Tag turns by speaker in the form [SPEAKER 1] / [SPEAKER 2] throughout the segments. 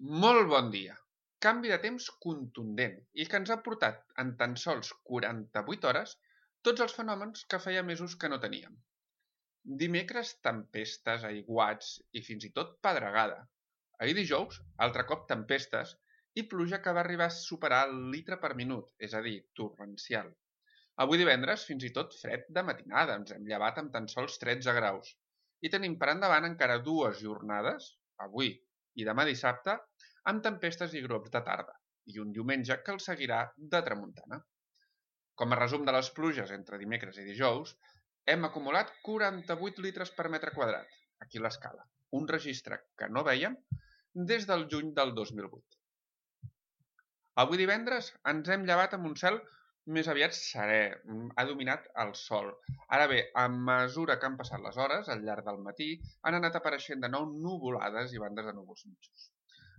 [SPEAKER 1] Molt bon dia! Canvi de temps contundent i que ens ha portat en tan sols 48 hores tots els fenòmens que feia mesos que no teníem. Dimecres, tempestes, aiguats i fins i tot pedregada. Ahir dijous, altre cop tempestes i pluja que va arribar a superar el litre per minut, és a dir, torrencial. Avui divendres, fins i tot fred de matinada, ens hem llevat amb tan sols 13 graus. I tenim per endavant encara 2 jornades, avui i demà dissabte, amb tempestes i grops de tarda, i un diumenge que el seguirà de tramuntana. Com a resum de les pluges entre dimecres i dijous, hem acumulat 48 litres per metre quadrat, aquí l'escala, un registre que no vèiem des del juny del 2008. Avui divendres ens hem llevat amb un cel més aviat serè, ha dominat el sol. Ara bé, a mesura que han passat les hores, al llarg del matí, han anat apareixent de nou nuvolades i bandes de núvols mitjos.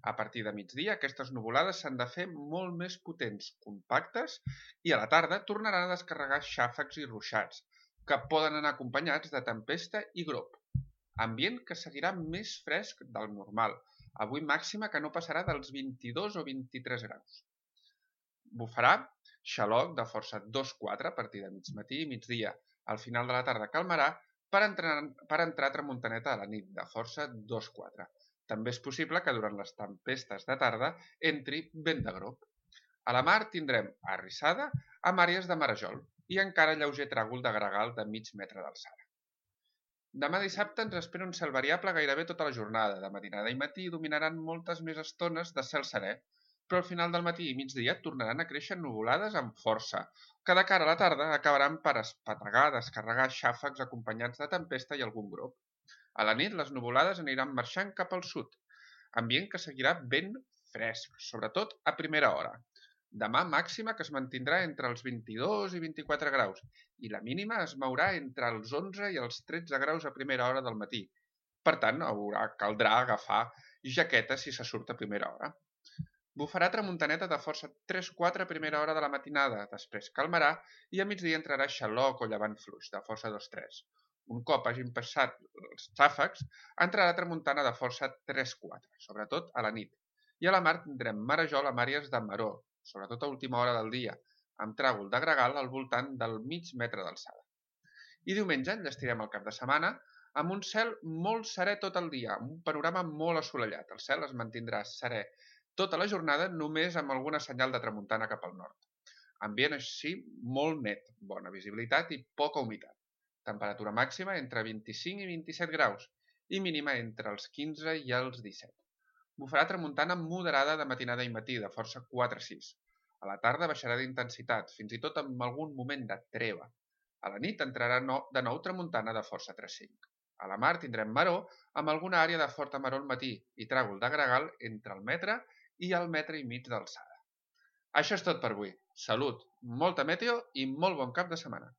[SPEAKER 1] A partir de migdia, aquestes nuvolades s'han de fer molt més potents, compactes, i a la tarda tornaran a descarregar xàfecs i ruixats, que poden anar acompanyats de tempesta i grop. Ambient que seguirà més fresc del normal, avui màxima que no passarà dels 22 o 23 graus. Bufarà xaloc de força 2-4 a partir de migmatí i migdia. Al final de la tarda calmarà per entrar tramuntaneta a la nit de força 2-4. També és possible que durant les tempestes de tarda entri vent de grop. A la mar tindrem arrissada amb àrees de marejol i encara lleuger tràgol de gregal de mig metre d'alçada. Demà dissabte ens espera un cel variable gairebé tota la jornada. De matinada i matí dominaran moltes més estones de cel serè, però al final del matí i migdia tornaran a créixer nuvolades amb força, que de cara a la tarda acabaran per espetegar, descarregar xàfecs acompanyats de tempesta i algun grop. A la nit les nuvolades aniran marxant cap al sud, ambient que seguirà ben fresc, sobretot a primera hora. Demà màxima que es mantindrà entre els 22 i 24 graus i la mínima es mourà entre els 11 i els 13 graus a primera hora del matí. Per tant, caldrà agafar jaqueta si se surt a primera hora. Bufarà tramuntaneta de força 3-4 a primera hora de la matinada, després calmarà i a migdia entrarà xaloc o llevant fluix de força 2-3. Un cop hagin passat els xàfecs, entrarà tramuntana de força 3-4, sobretot a la nit. I a la mar tindrem marejol amb àrees de maró, sobretot a última hora del dia, amb tràgol de gregal al voltant del mig metre d'alçada. I diumenge enllestirem el cap de setmana amb un cel molt serè tot el dia, amb un panorama molt assolellat. El cel es mantindrà serè tota la jornada només amb alguna senyal de tramuntana cap al nord. Ambient així molt net, bona visibilitat i poca humitat. Temperatura màxima entre 25 i 27 graus i mínima entre els 15 i els 17. Bufarà tramuntana moderada de matinada i matí, de força 4-6. A la tarda baixarà d'intensitat, fins i tot amb algun moment de treva. A la nit entrarà de nou tramuntana de força 3-5. A la mar tindrem maró amb alguna àrea de forta maró al matí i tràgol de gregal entre el metre i el metre i mig d'alçada. Això és tot per avui. Salut, molta meteo i molt bon cap de setmana.